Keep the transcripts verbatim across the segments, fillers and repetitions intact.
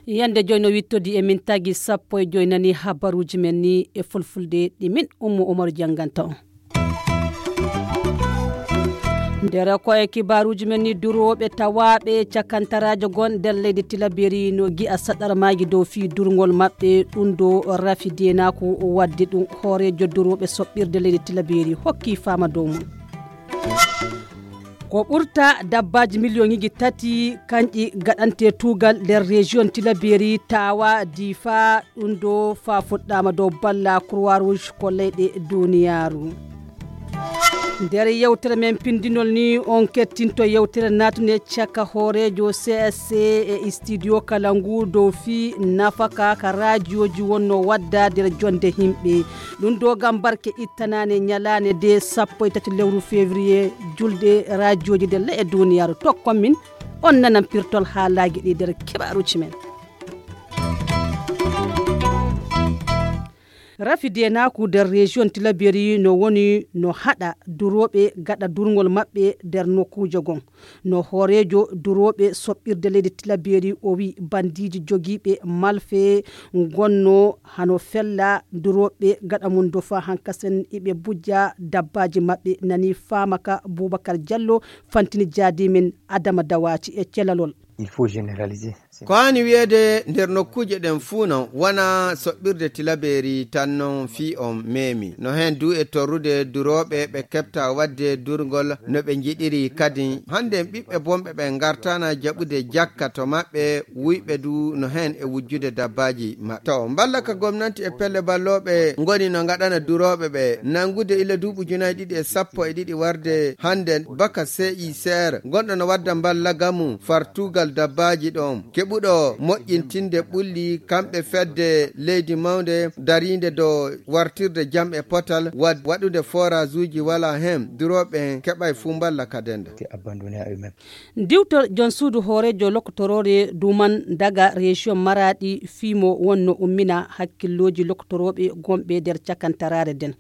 Yande joy no wittodi e min tagi sappo e joy nani habaruji men ni e fulfulde ɗi min Ummu Umaru jannganta on. Nder koye kibaruji men ni durooɓe tawaaɓe cakantaraajo gon nder leydi Tilaberi no gi'a saɗarmaaji dow fii durngol maɓɓe ɗum do rafi denaku wadde ɗum hooreejo durooɓe soɓɓirde leydi Tilaberi hokki faama dow mum. Ko ɓurta dabbaaji miliyoŋiji tati kanƴi gaɗante tuugal nder rejiyon Tilaberi tawa difa ɗum do fa fuɗɗama dow balla Croix Rouge ko leyɗe duniyaaru. Nder yewtere men pindinol ni on kettinto yewtere natunde caka hooreejo C S C e studio kala ngu dow fii nafaka ka rajiyoji wonno wadda nder jonde himɓe. Ɗum do gam barke ittanane ñalaande de sappo e tati lewru février julde rajiyoji nder le'e duniyaaru tokkon min on nanan pirtol haalaaji ɗi nder keɓaruji men. Rafi denaku nder rejiyon Tilaberi no woni no haɗa durooɓe gaɗa durngol maɓɓe nder nokkuuje gon. No hooreejo durooɓe soɓɓirde leydi Tilaberi o wi bandiiji jogiiɓe malfe gonno hano fella durooɓe gaɗa mum dofa hankasen iɓe bujja dabbaaji maɓɓe nani faama ka Bubakar Jallo fantini jaadi men Adama Dawaci e celalol. Il faut généraliser. Ko haani wiyeede nder nokkuuje ɗen fuu non wona soɓɓirde Tilaberi tan non fii on meemi. No heen duu e torrude durooɓe ɓe keɓta waɗde durngol no ɓe njiɗiri kadi. Hannde ɓiɓɓe bonɓe ɓe ngartana jaɓude jakka to maɓɓe wuyɓe duu no heen e wujjude dabbaaji maɓɓe. To mballa ka gomnanti e pelle ballooɓe ngoni no ngaɗana durooɓe ɓe nanngude ila duuɓi ujunaaji ɗiɗi e sappo e ɗiɗi warde hannde baka C I C R gonɗo no wadda mballa gamu fartugal dabbaaji ɗon. Keɓuɗo moƴƴintinde ɓulli kamɓe fedde leydi mawnde dariinde dow wartirde jam e potal wad-, waɗude forage uji wala heen durooɓe en keɓay fuu mballa ka denda. Diwtor jon suudu hooreejo lokotoroore duman daga rejiyon Maraɗi fii mo wonno ummina hakkillooji lokotorooɓe gonɓe nder cakantaraare nden.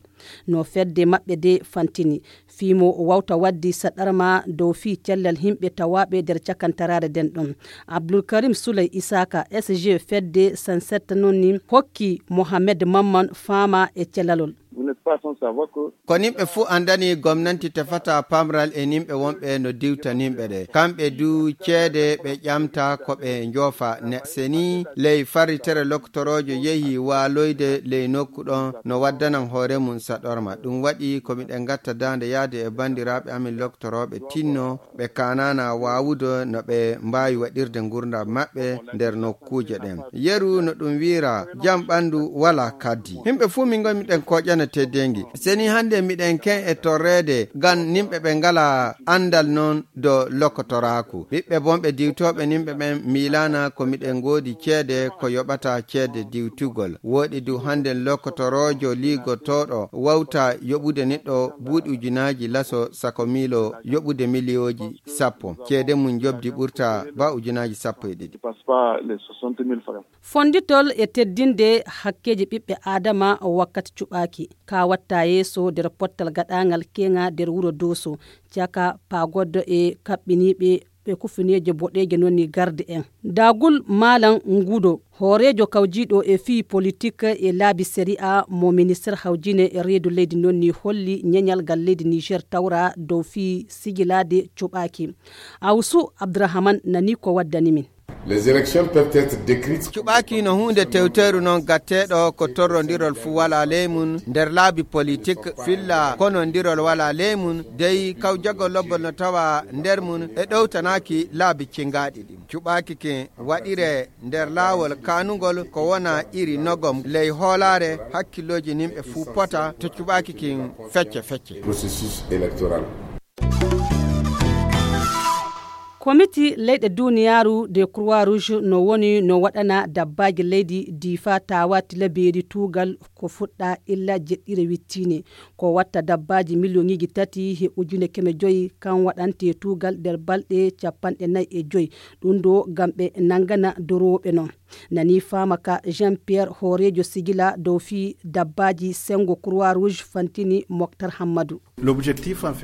No fedde maɓɓe de fantini fii mo wawta waddi saɗarma dow fii cellal himɓe tawaaɓe nder cakantaraare nden ɗon. Abdulkarim Suley Isaka S G fedde sansetta non ni hokki Mohamed Mamman faama e celalol. Vous n'êtes pas sans savoir que Ko nimɓe fuu anndani gomnanti tefata pamral e nimɓe wonɓe no diwta nimɓe ɗe. Kamɓe duu ceede ɓe ƴamta ko ɓe njoofa ne. Seni ley farritere loktoroojo yehi waaloyde ley nokku ɗon no waddanan hoore mum saɗorma. Ɗum waɗi ko miɗen ngatta daande yahde e banndiraaɓe amin loktorooɓe tinno ɓe kaanana waawude no ɓe mbaawi waɗirde ngurndam maɓɓe nder nokkuuje ɗen. Yeru no ɗum wiira, jam ɓanndu walaa kaddi. Yimɓe fuu min ngoni miɗen kooƴana teddeengi. Seni hannde miɗen ken e torreede ngam yimɓe ɓe ngalaa anndal non do lokotoraaku. Ɓiɓɓe bonɓe diwtooɓe yimɓe ɓen miilaana ko miɗen ngoodi ceede ko yoɓata ceede diwtugol. Wooɗi du hannden lokotoroojo liigotooɗo wawta yoɓude neɗɗo buuɗi ujunaaji laso sako miilo yoɓude miliyooji sappo. Ceede mum njoɓdi ɓurta ba ujunaaji sappo e ɗiɗi. Fonnditol e teddinde hakkeeji ɓiɓɓe Aadama wakkati cuɓaaki. Ka watta yeeso nder pottal gaɗaangal keŋa nder wuro Dooso, caka paagoddo e kaɓɓiniiɓe ɓe kufineeje boɗeeje non ni garde en. Dagul Malam Ngudo, hooreejo kawjiiɗo e fii politik e laabi sari'a mo minister hawjine e reedu leydi non ni holli ñeñal ngal leydi Niger tawra dow fii sigilaade cuɓaaki. Awsu Abdurrahman nani ko waddani min. Les élections peuvent être décrites. Cuɓaaki no huunde tewteeru non gatteeɗo ko torrondirol fuu walaa ley mum nder laabi politik filla konondirol walaa ley mum dey kawjagol lobbol no tawa nder mum e ɗowtanaaki laabi cingaaɗi ɗin. Cuɓaaki kin waɗire nder laawol kaanungol ko wona iri nogom ley hoolaare hakkillooji nimɓe fuu pota to cuɓaaki kin fecce fecce. Processus électoral. Komiti leyɗe duniyaaru de Croix Rouge no woni no waɗana dabbaaji leydi Difa tawa tilabeeri tuugal ko fuɗɗa illa jeɗɗire wittiine. Ko watta dabbaaji miliyoŋiiji tati he ujune keme joyi kan waɗante tuugal nder balɗe capanɗe nayi e joyi. Ɗum ɗo ngam ɓe nangana dorooɓe non. Nani faama ka Jean Pierre, hooreejo sigila dow fii dabbaaji senngo Croix Rouge, fantini Moktar Hammadu.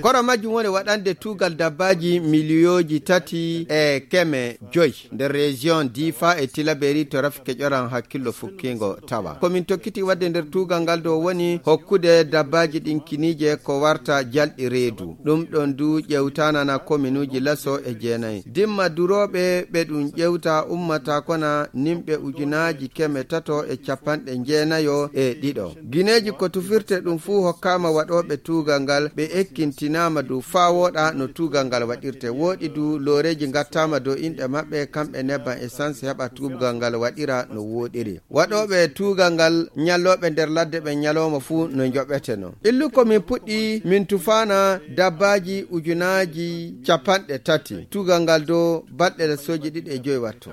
Koro majjum woni waɗande tuugal dabbaaji miliyooji tati e keme joyi nder région Difa e Tilaberi to rafi keƴoran hakkillo fukkiingo tawa. Ko min tokkiti waɗde nder tuugal ngal dow woni hokkude dabbaaji ɗin kiniije ko warta jalɗi reedu. Ɗum ɗon du ƴewtanana kominuuji laso e jeenayi. Dimma durooɓe ɓe ɗum ƴewta ummata kona nimɓe ujunaaji keme tato e capanɗe jeenayo e ɗiɗo. Gineeji ko tufirte ɗum fuu hokkaama waɗooɓe tuugal ngal, ɓe ekkintinaama dow faa wooɗa no tuugal ngal waɗirte. Wooɗi du looreeji ngattaama dow inɗe maɓɓe, kamɓe nebban essence heɓa tuugal ngal waɗira no wooɗiri. Waɗooɓe tuugal ngal ñallooɓe nder ladde ɓen ñalooma fuu no njoɓeteno. Illu ko min puɗɗi min tufaana dabbaaji ujunaaji capanɗe tati. Tuugal ngal dow balɗe lesooji ɗiɗi e joyi wattu.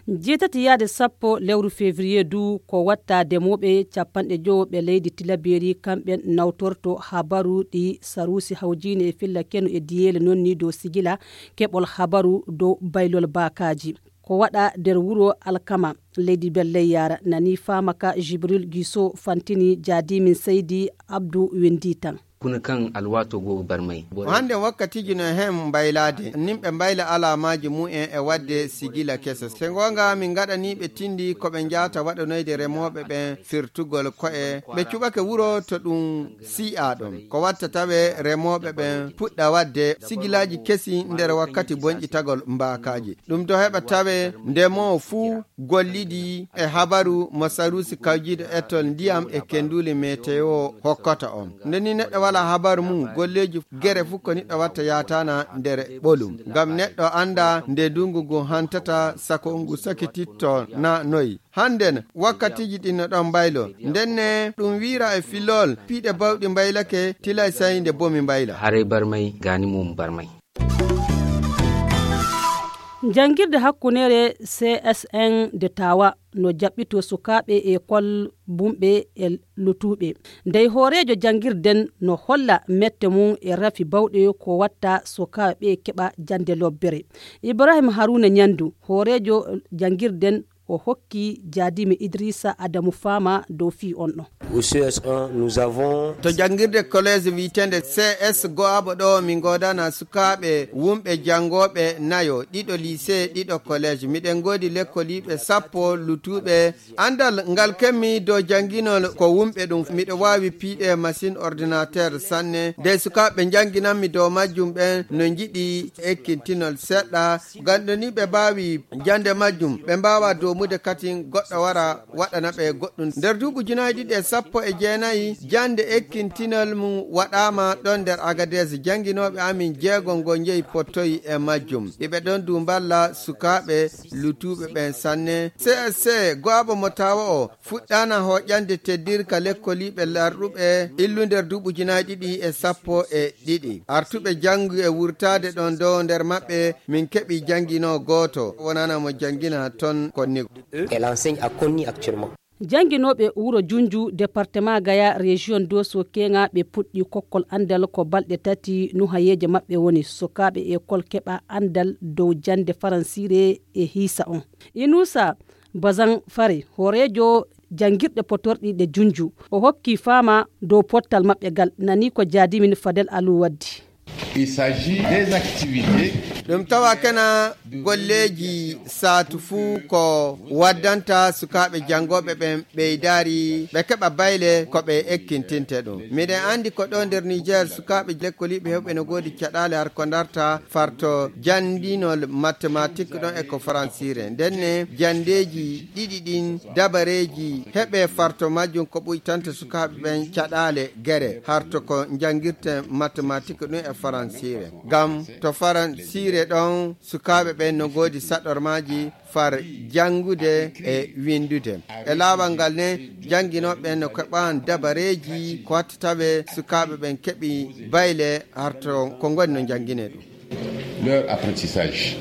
Jeetati yaade sappo lewru février du ko watta demooɓe capanɗe jowo ɓe leydi Tilaberi, kamɓen nawtorto habaru ɗi saruusi hawjiine e filla kenu e diyeele non ni dow sigila keɓol habaru dow baylol baakaaji. Ko waɗa nder wuro Alkama, leydi Belleyaara, nani faama ka Jibril Giso, fantini jaadimin Seydi Abdu Wendi tan. Kuna kan alwaato go barmay. O hannde wakkatiiji no e heen mbaylaade, nimɓe mbayla alaamaaji mumen e waɗde sigila kese. Se ngoonga, min ngaɗanii ɓe tindi ko ɓe njaata waɗanoyde remooɓe ɓen firtugol ko'e. Ɓe cuɓake wuro to ɗum sii'aa ɗon. Ko watta tawe remooɓe ɓen puɗɗa waɗde sigilaaji kesi nder wakkati bonƴitagol mbaakaaji. Ɗum do heɓa tawe ndemoowo fuu gollidi e habaru mo saruusi kawjiiɗo ettol ndiyam e kenduli meteo hokkata on. Nde ni neɗɗo wala habaru mum, golleeji gere fuu ko neɗɗo watta yaatana nder ɓolum. Ngam neɗɗo annda nde ndungu ngun hantata, sako ngu sakititto na noy. Hannden, wakkatiiji ɗin no ɗon mbaylo. Ndenne, ɗum wiira e filol, piiɗe bawɗi mbaylake, tilay say nde bomi mbayla. Haray barmay, gaani mum barmay. Janngirde hakkunere C S N de Tawa no jaɓɓito sukaaɓe e kol bumɓe e lutuuɓe. Ndey hooreejo janngirden no holla mette mum e rafi bawɗe ko watta sukaaɓe keɓa jannde lobbere. Ibrahim Haruna Nyandu, hooreejo janngirden, o hokki jaadimi Idrissa Adamu Faama dow fii on ɗon. Au C S un, nous avons to janngirde collège wi'eteende C S Go'aɓo ɗo, min ngoodana sukaaɓe wumɓe janngooɓe nayo, ɗiɗo lycée, ɗiɗo collège. Miɗen ngoodi lekkoliiɓe sappo lutuuɓe. Anndal ngal kemmi dow jannginol ko wumɓe ɗum. Miɗo waawi piiɗe machine ordinateur sanne. Nde sukaaɓe njannginammi dow majjum ɓen no njiɗi ekkintinol seɗɗa. Ngam ɗo ni ɓe mbaawi jannde majjum, ɓe mbaawaa doomude katin goɗɗo wara waɗana ɓe goɗɗum. Nder duuɓi ujunaaji ɗiɗi e sappo e jeenayi, jannde ekkintinol mum waɗaama ɗon nder Agadez. Jannginooɓe amin jeego ngo njeyi pottoyi e majjum. Iɓe ɗon du mballa sukaaɓe lutuuɓe ɓen sanne. C S C Go'aɓo mo Tawa o fuɗɗaana hooƴande teddirka lekkoliiɓe larɗuɓe illu nder duuɓi ujunaaji ɗiɗi e sappo e ɗiɗi. Artuɓe janngu e wurtaade ɗon dow nder maɓɓe, min keɓi jannginoo gooto, wonana mo janngina ton Konnigo. Elle enseigne à Konni actuellement. Jannginooɓe wuro Junju, département Gaya, région Doso Keŋa, ɓe puɗɗi kokkol anndal ko balɗe tati. Nuhayeeje maɓɓe woni sukaaɓe ekol keɓa anndal dow jannde faransiire e hiisa on. Inusa Bazan Fare, hooreejo janngirɗe potorɗi ɗe Junju, o hokki Faama dow pottal maɓɓe ngal, nani ko jaadimin Fadel Alu waddi. Il s'agit des activités. Ɗum tawa kena golleeji saatu fuu ko waddanta sukaaɓe janngooɓe ɓen ɓeydaari, ɓe keɓa bayle ko ɓe ekkintinte ɗum. Miɗen anndi ko ɗo nder Niger, sukaaɓe lekkoliiɓe heewɓe no ngoodi caɗaale har ko ndarta farto janndinol matematik ɗon e ko faransiire. Ndenne, janndeeji ɗiɗi ɗin dabareeji heɓe farto majjum ko ɓuytanta sukaaɓe ɓen caɗaale gere, harto ko njanngirten matematik ɗum e faransiire. Ngam to faransiire ɗon, sukaaɓe ɓen no ngoodi saɗormaaji far janngude e winndude. E laawol ngal ne, jannginooɓe ɓen no keɓan dabareeji ko watta tawe sukaaɓe ɓen keɓi bayle harto ko ngoni no njanngine ɗum. Leur apprentissage.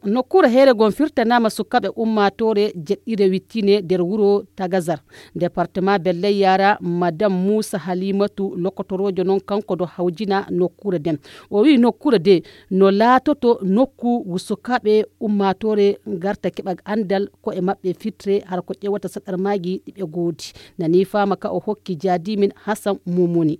Nokkuure heere gon firtanaama sukaaɓe ummaatoore jeɗɗire wittine nder wuro Tagazar, departement Belley Yara, Madam Muusa Halimatu, lokotoroojo non kanko ɗo hawjina nokkuure nden. O wi'i nokkuure de no laatoto nokku ngu sukaaɓe ummaatoore ngarta keɓa anndal ko e maɓɓe fitre hara ko ƴeewata saɗarmaaji ɗi ɓe goodi. Nani faama ka o hokki jaadimin Hasan Mumuni.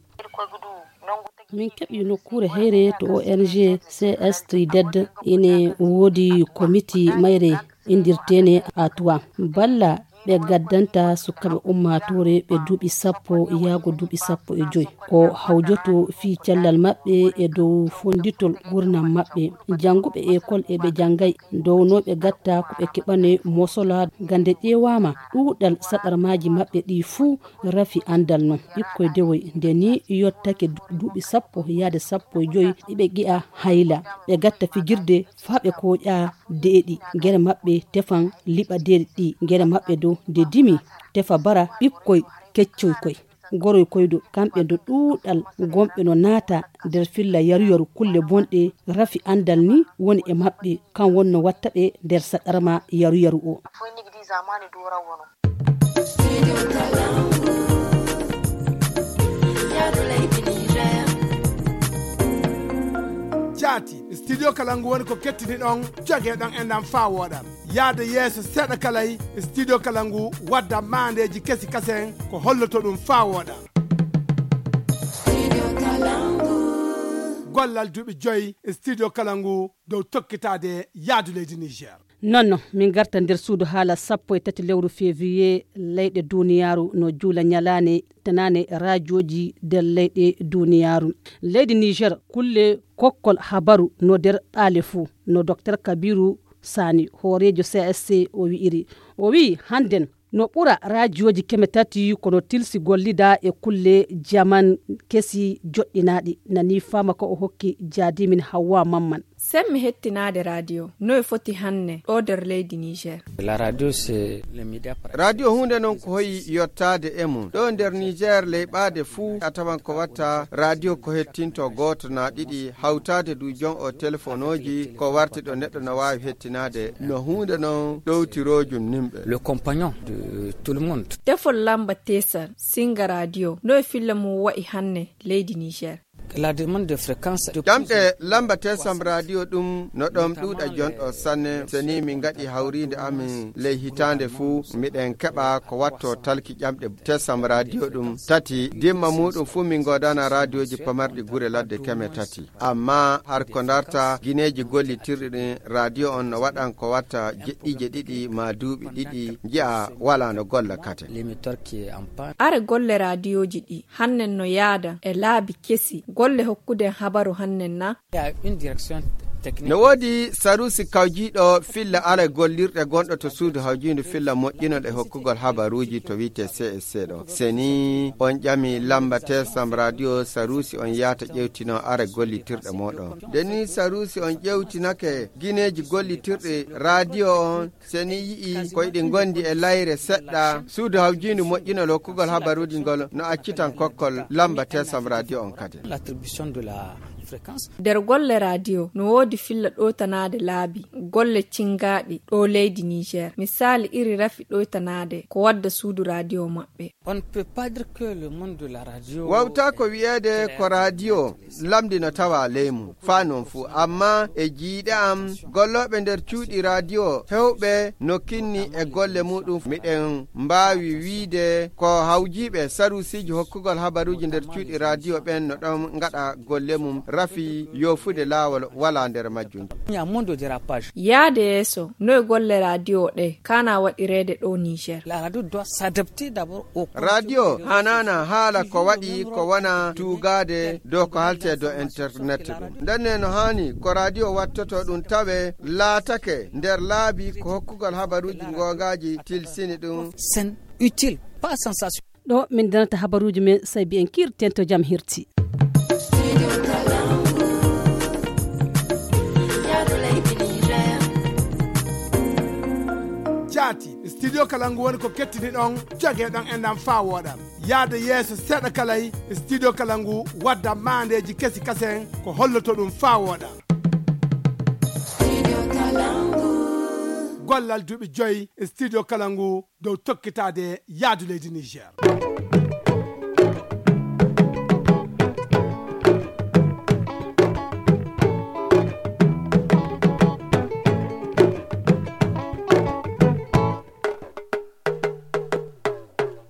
Min keɓi nokkuure heyre to O N G C S Trided, ine woodi komiti mayre indirteene Atuwa. Balla ɓe gaddanta sukaaɓe ummaatoore ɓe duuɓi sappo yaago duuɓi sappo e joy. Ko hawjoto fii cellal maɓɓe e dow fonnditol gurnam maɓɓe. Jannguɓe ekol e ɓe janngay downooɓe gatta ko ɓe keɓane mosola gande ƴeewaama ɗuuɗal saɗarmaaji maɓɓe ɗi fuu rafi anndal non. Ɓikkoy dewoy nde ni yottake du-, duuɓi sappo yaade sappo e joy iɓe ƴi'a hayla. Ɓe gatta fijirde faa ɓe kooƴa deeɗi. Gere maɓɓe tefan liɓa deeɗi ɗi. Gere maɓɓe dow nde dimi tefa bara ɓikkoy keccoy koy. Goroy koyɗo kamɓe ndo ɗuuɗal gomɓe no naata nder filla yaru-yaru kulle bonɗe rafi anndal ni woni e maɓɓe. Kan wonno watta ɓe nder saɗarma yaru-yaru o. Jaati, studio Kalangu woni ko kettini ɗon, joge ɗon e ndam faa wooɗa. Yaade yeeso seeɗa kalay, studio Kalangu wadda maandeeji kesi kasen ko holloto ɗum faa wooɗa. Gollal duuɓi joy studio Kalangu dow tokkitaade yaadu leydi Niger. Non non, min garta nder suudu haala sappo e tati lewru février, leyɗe duniyaaru no juula ñalaane tanaane raajooji nder leyɗe duniyaaru. Leydi Niger, kulle kokkol habaru no nder ɓaale fuu, no Doktor Kabiru Sani, hooreejo C S C, o wi'iri. O wi'i hannden no ɓura raajooji keme tati kono tilsi gollida e kulle jaman kesi joɗɗinaaɗi. Nani faama ko o hokki jaadimin Hawwa Mamman. Semmi hettinaade radio, no e foti hanne ɗo nder leydi Niger. La radio, c'est le média par radio huunde noon ko hoyi yottaade e mum. Ɗo nder Niger leyɓaade fuu a tawan ko watta radio ko hettinto gooto naa ɗiɗi, hawtaade du jon o telefonooji ko warti ɗo neɗɗo no waawi hettinaade no huunde noon ɗowtiroojum nimɓe. Le compagnon de tout le monde. Tefol lamba tesal, singa radio, no e filla mum wa'i hanne leydi Niger. La demande de fréquence de ƴamɗe lamba tesam radio ɗum no ɗon ɗuuɗa jonɗo sanne. So ni min ngaɗi hawriinde amin ley hitaande fuu, miɗen keɓa ko watto talki ƴamɗe tesam radio ɗum tati. Dimma muɗum fuu min ngoodana radioji pamarɗi gure ladde keme tati. Amma har ko ndarta gineeji gollitirɗi ɗin radio on no waɗan ko watta jeɗɗiije ɗiɗi ma duuɓi ɗiɗi, nji'a wala no golla kate. L'émetteur qui est en panne. Are golle radioji ɗi hannen no yaada e laabi kesi, golle hokkuden habaru hannen na? Il y a une direction technique. No woodi sarusi kawjiiɗo filla aray gollirɗe gonɗo to suudu hawjiindu filla moƴƴinol e hokkugol habaruuji to wi'ete C S C ɗo. Se ni on ƴami lamba tesam radio sarusi on yaata ƴewtino aray gollitirɗe mooɗon. Nde ni sarusi on ƴewtinake gineeji gollitirɗi radio on, se ni yi'i ko iɗi ngondi e layre seɗɗa, suudu hawjiindu moƴƴinol hokkugol habaruuji ngol no accitan kokkol lamba tesam radio on kadi. L'attribution de la fréquence. Nder golle radio no woodi filla ɗowtanaade laabi golle cingaaɗi ɗo leydi Niger. Misaali iri rafi ɗowtanaade ko wadda suudu radio maɓɓe. On ne peut pas dire que le monde de la radio. Wawta ko wi'eede ko radio lamndi no tawa ley mum faa non fuu, amma e jiiɗe am gollooɓe nder cuuɗi radio hewɓe no kinni e golle muɗum. Miɗen mbaawi wiide ko hawjiiɓe sarusiiji hokkugol habaruuji nder cuuɗi radio ɓen no ɗon ngaɗa golle mum rafi yoofude laawol wala nder majjum. Il y a moins de dérapage. Yaade yeeso, no e golle radio ɗe kana waɗireede ɗo Niger? La radio doit s'adapter d'abord au radio hanaana haala ko waɗi ko wona tuugaade dow ko halte dow internet ɗum. Ndenne no haani ko radio wattoto ɗum tawe laatake nder laabi ko hokkugol habaruuji goongaaji tilsini ɗum. Sen utile, pas sensation. Ɗo min danata habaruuji men, sai mbiyen kiirten to jam hirti. Jaati, studio Kalangu woni ko kettini ɗon, joge ɗon e ndam faa wooɗa. Yaade yeeso seeɗa kalay, studio Kalangu wadda maandeeji kesi kasen ko holloto ɗum faa wooɗa. gollal duuɓi joyi e studio kala ngu dow tokkitaade yaadu leydi Niger.